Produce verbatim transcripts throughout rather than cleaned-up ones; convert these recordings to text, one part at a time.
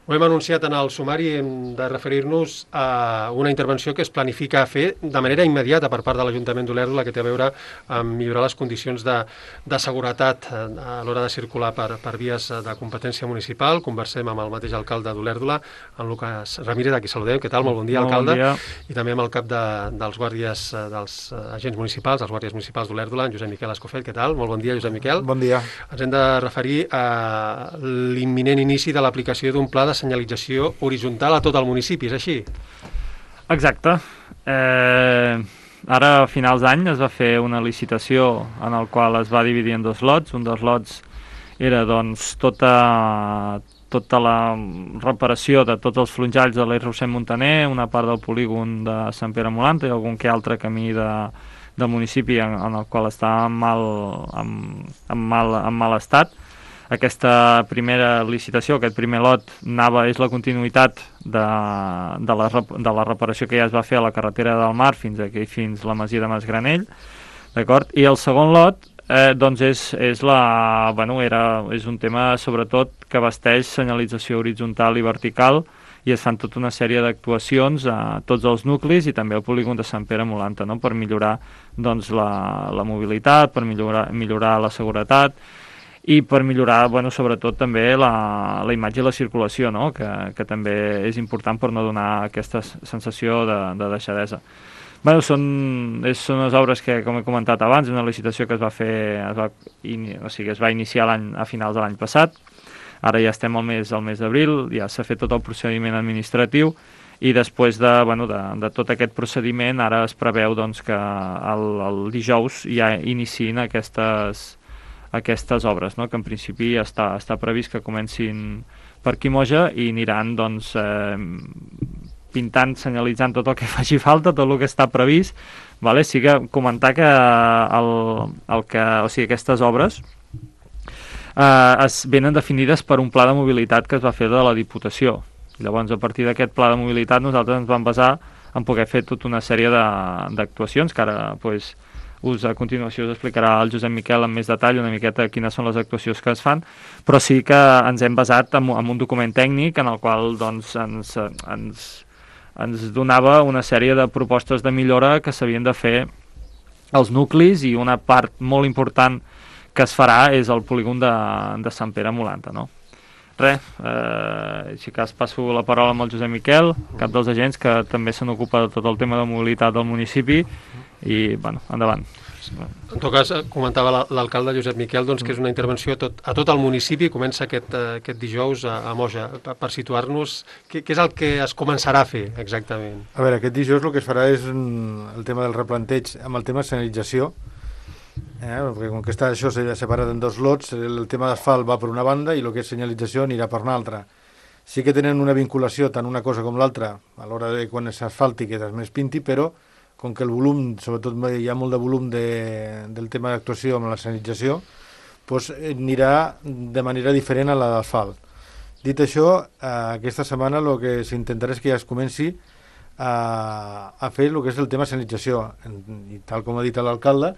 Ho hem anunciat en el sumari, hem de referir-nos a una intervenció que es planifica fer de manera immediata per part de l'Ajuntament d'Olèrdola, que té a veure amb millorar les condicions de, de seguretat a l'hora de circular per, per vies de competència municipal. Conversem amb el mateix alcalde d'Olèrdola, en Lucas Ramírez, a qui saludem. Què tal? Molt bon dia, Molt alcalde. Bon dia. I també amb el cap de, dels guàrdies, dels agents municipals, els guàrdies municipals d'Olèrdola, en Josep Miquel Escofell. Què tal? Molt bon dia, Josep Miquel. Bon dia. Ens hem de referir a l'imminent inici de l'aplicació d'un pla de senyalització horitzontal a tot el municipi, és així? Exacte. Eh, ara, a finals d'any, es va fer una licitació en el qual es va dividir en dos lots. Un dels lots era doncs, tota, tota la reparació de tots els flonjalls de l'Eix Rossell Montaner, una part del polígon de Sant Pere Molanta i algun que altre camí de, del municipi en, en el qual està en mal, en, en mal, en mal estat. Aquesta primera licitació, aquest primer lot, anava, és la continuïtat de, de, la, de la reparació que ja es va fer a la carretera del Mar fins aquí, fins la masia de Masgranell, d'acord? I el segon lot, eh, doncs és, és, la, bueno, era, és un tema sobretot que abasteix senyalització horitzontal i vertical, i es fan tota una sèrie d'actuacions a tots els nuclis i també al polígon de Sant Pere Molanta, no? Per millorar doncs, la, la mobilitat, per millorar, millorar la seguretat, i per millorar, bueno, sobretot també la, la imatge i la circulació, no? que, que també és important per no donar aquesta sensació de, de deixadesa. Bueno, són, és, són les obres que, com he comentat abans, una licitació que es va fer, es va, in, o sigui, es va iniciar a finals de l'any passat. Ara ja estem al mes, al mes d'abril, ja s'ha fet tot el procediment administratiu i després de, bueno, de, de tot aquest procediment ara es preveu doncs, que el, el dijous ja iniciïn aquestes aquestes obres, no? Que en principi està, està previst que comencin per Quimoja i aniran doncs, eh, pintant, senyalitzant tot el que faci falta, tot el que està previst. Vale? Sí que comentar que, el, el que o sigui, aquestes obres eh, es venen definides per un pla de mobilitat que es va fer de la Diputació. Llavors, a partir d'aquest pla de mobilitat, nosaltres ens vam basar en poder fer tota una sèrie d'actuacions que ara pues, us a continuació us explicarà el Josep Miquel amb més detall una miqueta quines són les actuacions que es fan, però sí que ens hem basat en, en un document tècnic en el qual doncs, ens, ens, ens donava una sèrie de propostes de millora que s'havien de fer als nuclis i una part molt important que es farà és el polígon de, de Sant Pere Molanta, no? Res, eh, així que es passo la paraula amb el Josep Miquel, cap dels agents que també se n'ocupa de tot el tema de mobilitat del municipi i, bueno, endavant. En tot cas, comentava l'alcalde Josep Miquel doncs, que és una intervenció a tot, a tot el municipi, comença aquest, aquest dijous a, a Moja. Per, per situar-nos, què, què és el que es començarà a fer exactament? A veure, aquest dijous el que es farà és el tema del replanteig amb el tema de senyalització, eh? Perquè com que està això separat en dos lots, el tema d'asfalt va per una banda i el que és senyalització anirà per una altra. Sí que tenen una vinculació tant una cosa com l'altra a l'hora de quan s'asfalti que després pinti, però com que el volum, sobretot hi ha molt de volum de, del tema d'actuació amb la senyalització, doncs anirà de manera diferent a la d'asfalt. Dit això, eh, aquesta setmana el que s'intentarà és que ja es comenci a, a fer el que és el tema senyalització. I tal com ha dit l'alcalde,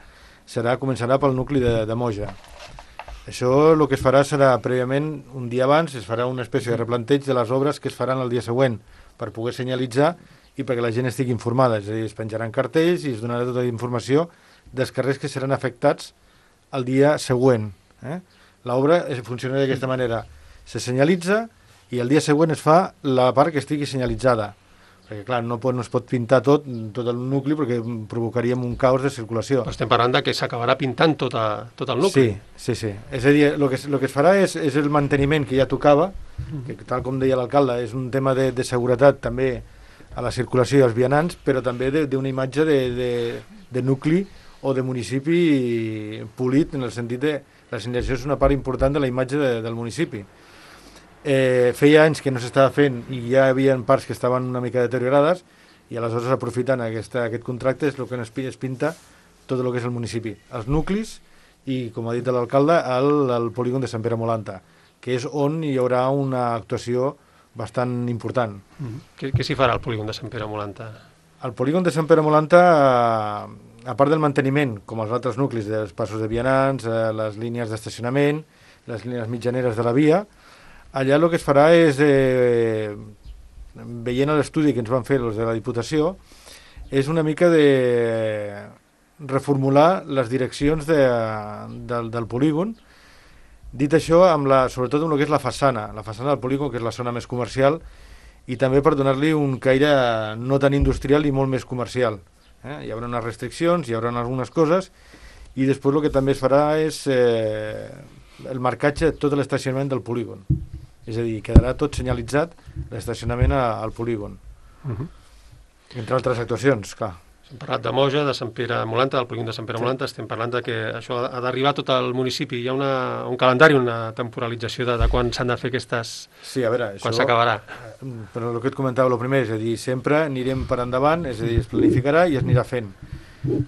serà, començarà pel nucli de, de Moja. Això el que es farà serà prèviament, un dia abans, es farà una espècie de replanteig de les obres que es faran el dia següent per poder senyalitzar i perquè la gent estigui informada, és a dir, es penjaran cartells i es donarà tota la informació dels carrers que seran afectats el dia següent. Eh? L'obra funciona d'aquesta manera, se senyalitza i el dia següent es fa la part que estigui senyalitzada, perquè clar, no, pot, no es pot pintar tot, tot el nucli perquè provocaríem un caos de circulació. Però estem parlant de que s'acabarà pintant tot, a, tot el nucli. Sí, sí, sí. És a dir, el que, el que es farà és, és el manteniment que ja tocava, que tal com deia l'alcalde, és un tema de, de seguretat també a la circulació i als vianants, però també d'una imatge de, de, de nucli o de municipi polit, en el sentit de la senyalització és una part important de la imatge de, del municipi. Eh, feia anys que no s'estava fent i ja hi havia parts que estaven una mica deteriorades i aleshores aprofitant aquesta, aquest contracte és el que es pinta tot el que és el municipi, els nuclis i, com ha dit l'alcalde, el, el polígon de Sant Pere Molanta, que és on hi haurà una actuació bastant important. Mm-hmm. Què, què s'hi farà al polígon de Sant Pere Molanta? Al polígon de Sant Pere Molanta, a part del manteniment, com els altres nuclis dels passos de vianants, les línies d'estacionament, les línies mitjaneres de la via, allà el que es farà és, eh, veient l'estudi que ens van fer els de la Diputació, és una mica de reformular les direccions de, del, del polígon. Dit això, amb la, sobretot amb el que és la façana, la façana del polígon, que és la zona més comercial, i també per donar-li un caire no tan industrial i molt més comercial. Eh? Hi haurà unes restriccions, hi haurà algunes coses, i després el que també es farà és eh, el marcatge de tot l'estacionament del polígon. És a dir, quedarà tot senyalitzat l'estacionament a, al polígon. Uh-huh. Entre altres actuacions, clar. Hem parlat de Moja, de Sant Pere Molanta, del polígon de Sant Pere Molanta, estem parlant de que això ha d'arribar a tot el municipi. Hi ha una, un calendari, una temporalització de, de quan s'han de fer aquestes... Sí, a veure, quan s'acabarà. Però el que et comentava, el primer, és a dir, sempre anirem per endavant, és a dir, es planificarà i es anirà fent.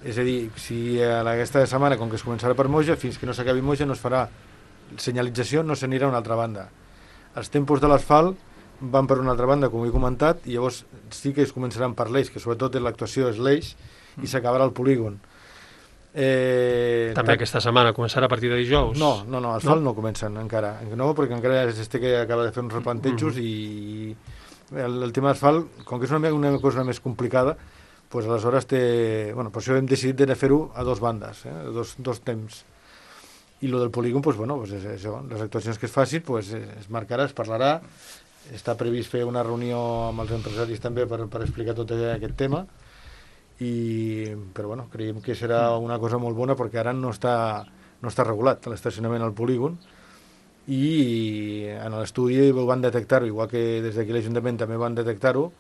És a dir, si a aquesta setmana, com que es començarà per Moja, fins que no s'acabi Moja no es farà senyalització, no s'anirà a una altra banda. Els tempos de l'asfalt van per una altra banda, com he comentat, i llavors sí que es començaran per l'eix, que sobretot l'actuació és l'eix, i s'acabarà el polígon. Eh, També aquesta setmana començarà a partir de dijous? No, no, no, asfalt no, no comencen encara. No, perquè encara es té que acaba de fer uns replantejos uh -huh. i el, el tema d'asfalt, com que és una, una cosa més complicada, pues aleshores té... Bueno, per això hem decidit de fer-ho a dos bandes, eh, dos, dos temps. I lo del polígon, pues, bueno, pues és això. Les actuacions que es facin, pues, es marcarà, es parlarà. Està previst fer una reunió amb els empresaris també per, per explicar tot aquest tema. I, però bueno, creiem que serà una cosa molt bona perquè ara no està, no està regulat l'estacionament al polígon i en l'estudi ho van detectar-ho, igual que des d'aquí l'Ajuntament també van detectar-ho,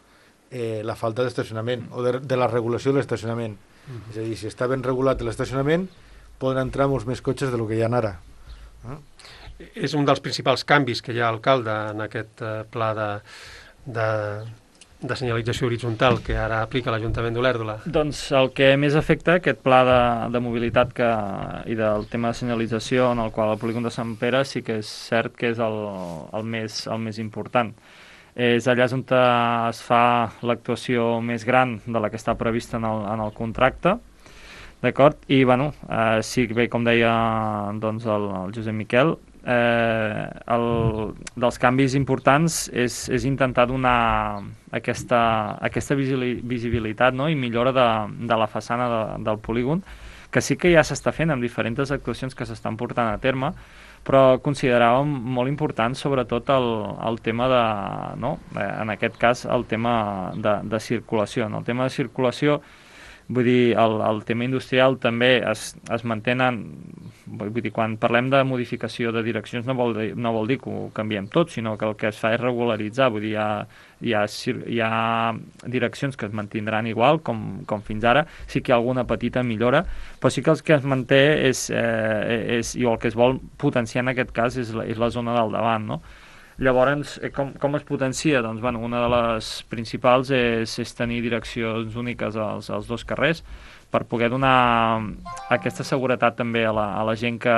eh, la falta d'estacionament o de, de la regulació de l'estacionament. Mm. És a dir, si està ben regulat l'estacionament poden entrar molts més cotxes del que hi ha ara. Eh? És un dels principals canvis que hi ha, alcalde, en aquest eh, pla de, de, de senyalització horitzontal que ara aplica l'Ajuntament d'Olèrdola. Doncs el que més afecta aquest pla de, de mobilitat que, i del tema de senyalització en el qual el polígon de Sant Pere sí que és cert que és el, el, més, el més important. És allà on es fa l'actuació més gran de la que està prevista en el, en el contracte. D'acord? I, bueno, eh, sí, bé, com deia doncs, el, el Josep Miquel, eh, el, dels canvis importants és, és intentar donar aquesta, aquesta visibilitat, no? I millora de, de la façana de, del polígon, que sí que ja s'està fent amb diferents actuacions que s'estan portant a terme, però consideràvem molt important sobretot el, el tema de, no? En aquest cas, el tema de, de circulació. En el tema de circulació, vull dir, el, el tema industrial també es, es mantenen, vull dir, quan parlem de modificació de direccions no vol dir, no vol dir que ho canviem tot, sinó que el que es fa és regularitzar, vull dir, hi ha, hi ha, hi ha direccions que es mantindran igual com, com fins ara, sí que hi ha alguna petita millora, però sí que el que es manté és, eh, és i el que es vol potenciar en aquest cas és la, és la zona del davant, no? Llavors, com, com es potencia? Doncs, bueno, una de les principals és, és tenir direccions úniques als, als dos carrers per poder donar aquesta seguretat també a la, a la gent que,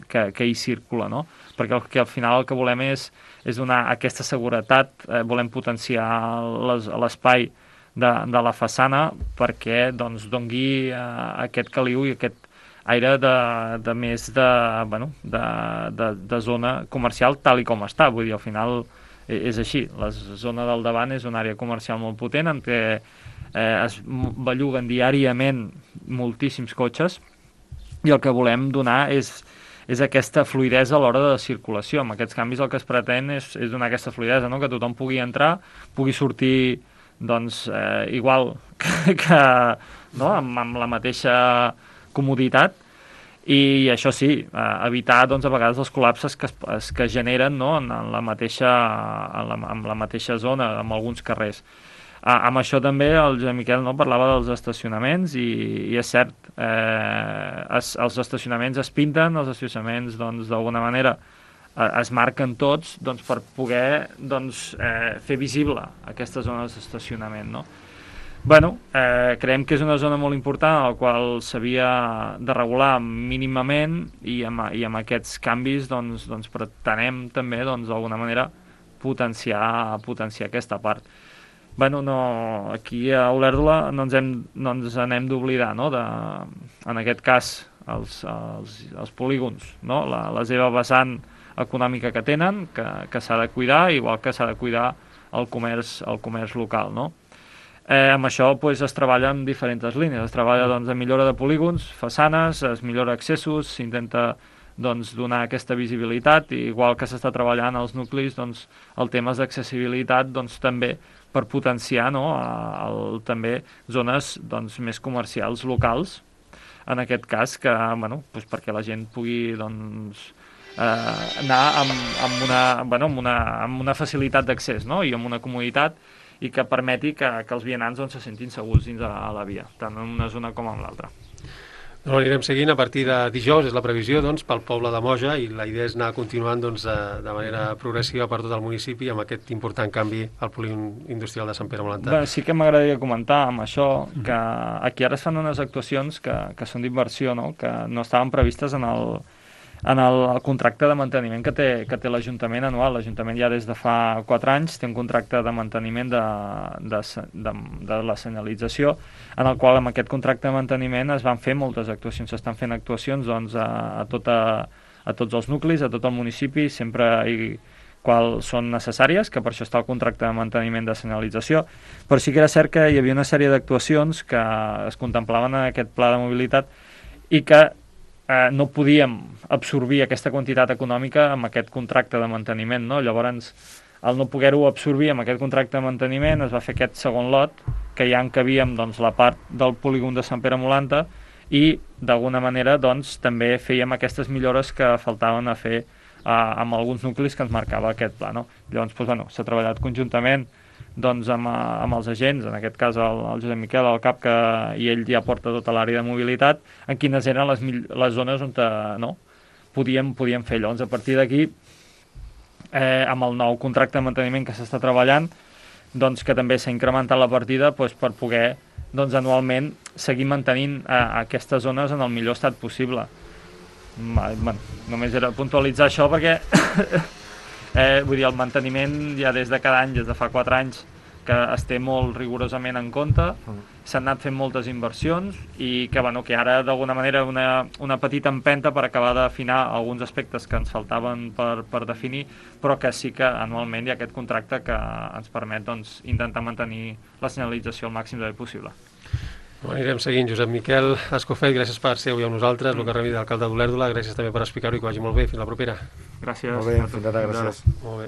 que, que hi circula, no? Perquè el, que al final el que volem és, és donar aquesta seguretat, eh, volem potenciar l'espai de, de la façana perquè doncs, dongui eh, aquest caliu i aquest aire de, de més de, bueno, de, de, de zona comercial tal i com està, vull dir, al final és així, la zona del davant és una àrea comercial molt potent en què eh, es belluguen diàriament moltíssims cotxes i el que volem donar és, és aquesta fluidesa a l'hora de circulació. Amb aquests canvis el que es pretén és, és donar aquesta fluidesa, no? Que tothom pugui entrar, pugui sortir doncs, eh, igual que, que no? amb, amb la mateixa comoditat i això sí, eh, evitar doncs, a vegades els col·lapses que es, que es generen no? en, en, la mateixa, en, la, en la mateixa zona, en alguns carrers. Ah, amb això també el Josep Miquel no, parlava dels estacionaments i, i és cert, eh, es, els estacionaments es pinten, els estacionaments doncs, d'alguna manera eh, es marquen tots doncs, per poder doncs, eh, fer visible aquestes zones d'estacionament, no? Bueno, eh, creiem que és una zona molt important a la qual s'havia de regular mínimament i amb, i amb aquests canvis doncs, doncs pretenem també doncs, d'alguna manera potenciar, potenciar aquesta part. Bueno, no, aquí a Olèrdola no ens, hem, no ens n'hem d'oblidar, no? De, en aquest cas, els, els, els polígons, no? La, la seva vessant econòmica que tenen, que, que s'ha de cuidar, igual que s'ha de cuidar el comerç, el comerç local, no? Eh, amb això pues, es treballa en diferents línies, es treballa doncs, en millora de polígons, façanes, es millora accessos, s'intenta doncs, donar aquesta visibilitat, i igual que s'està treballant als nuclis, doncs, el tema d'accessibilitat doncs, també per potenciar, no, el, també zones doncs, més comercials locals, en aquest cas, que, bueno, doncs, perquè la gent pugui doncs, eh, anar amb, amb, una, bueno, amb, una, amb una facilitat d'accés, no? I amb una comoditat, i que permeti que, que els vianants doncs, se sentin segurs dins a, a la via, tant en una zona com en l'altra. No, anirem seguint a partir de dijous, és la previsió doncs, pel poble de Moja, i la idea és anar continuant doncs, de manera progressiva per tot el municipi amb aquest important canvi al polígon industrial de Sant Pere Molantar. Bé, sí que m'agradaria comentar amb això que aquí ara es fan unes actuacions que, que són d'inversió, no? Que no estaven previstes en el, en el, el contracte de manteniment que té, que té l'Ajuntament anual. L'Ajuntament ja des de fa quatre anys té un contracte de manteniment de, de, de, de la senyalització, en el qual amb aquest contracte de manteniment es van fer moltes actuacions. S'estan fent actuacions doncs, a, a, tota, a tots els nuclis, a tot el municipi, sempre i qual són necessàries, que per això està el contracte de manteniment de senyalització, però sí que era cert que hi havia una sèrie d'actuacions que es contemplaven en aquest pla de mobilitat i que eh, no podíem absorbir aquesta quantitat econòmica amb aquest contracte de manteniment, no? Llavors, al no poder-ho absorbir amb aquest contracte de manteniment, es va fer aquest segon lot, que ja encabíem doncs, la part del polígon de Sant Pere Molanta, i d'alguna manera doncs, també fèiem aquestes millores que faltaven a fer eh, amb alguns nuclis que ens marcava aquest pla, no? Llavors, doncs, bueno, s'ha treballat conjuntament doncs, amb, amb els agents, en aquest cas el, el Josep Miquel, el cap, que, i ell ja porta tota l'àrea de mobilitat, en quines eren les, les zones on no, podíem, podíem fer. Llavors, a partir d'aquí, eh, amb el nou contracte de manteniment que s'està treballant, doncs, que també s'ha incrementat la partida doncs, per poder doncs, anualment seguir mantenint eh, aquestes zones en el millor estat possible. Bueno, només era puntualitzar això perquè eh, vull dir, el manteniment ja des de cada any, des de fa quatre anys, que es té molt rigorosament en compte, s'han anat fent moltes inversions i que, bueno, que ara d'alguna manera una, una petita empenta per acabar d'afinar alguns aspectes que ens faltaven per, per definir, però que sí que anualment hi ha aquest contracte que ens permet doncs, intentar mantenir la senyalització al màxim de bé possible. Bueno, anirem seguint. Josep Miquel Escofet, gràcies per ser avui amb nosaltres, el Carrer d'alcalde d'Olèrdola, gràcies també per explicar-ho i que vagi molt bé. Fins la propera. Gràcies. Molt bé, fins ara, gràcies. Molt bé.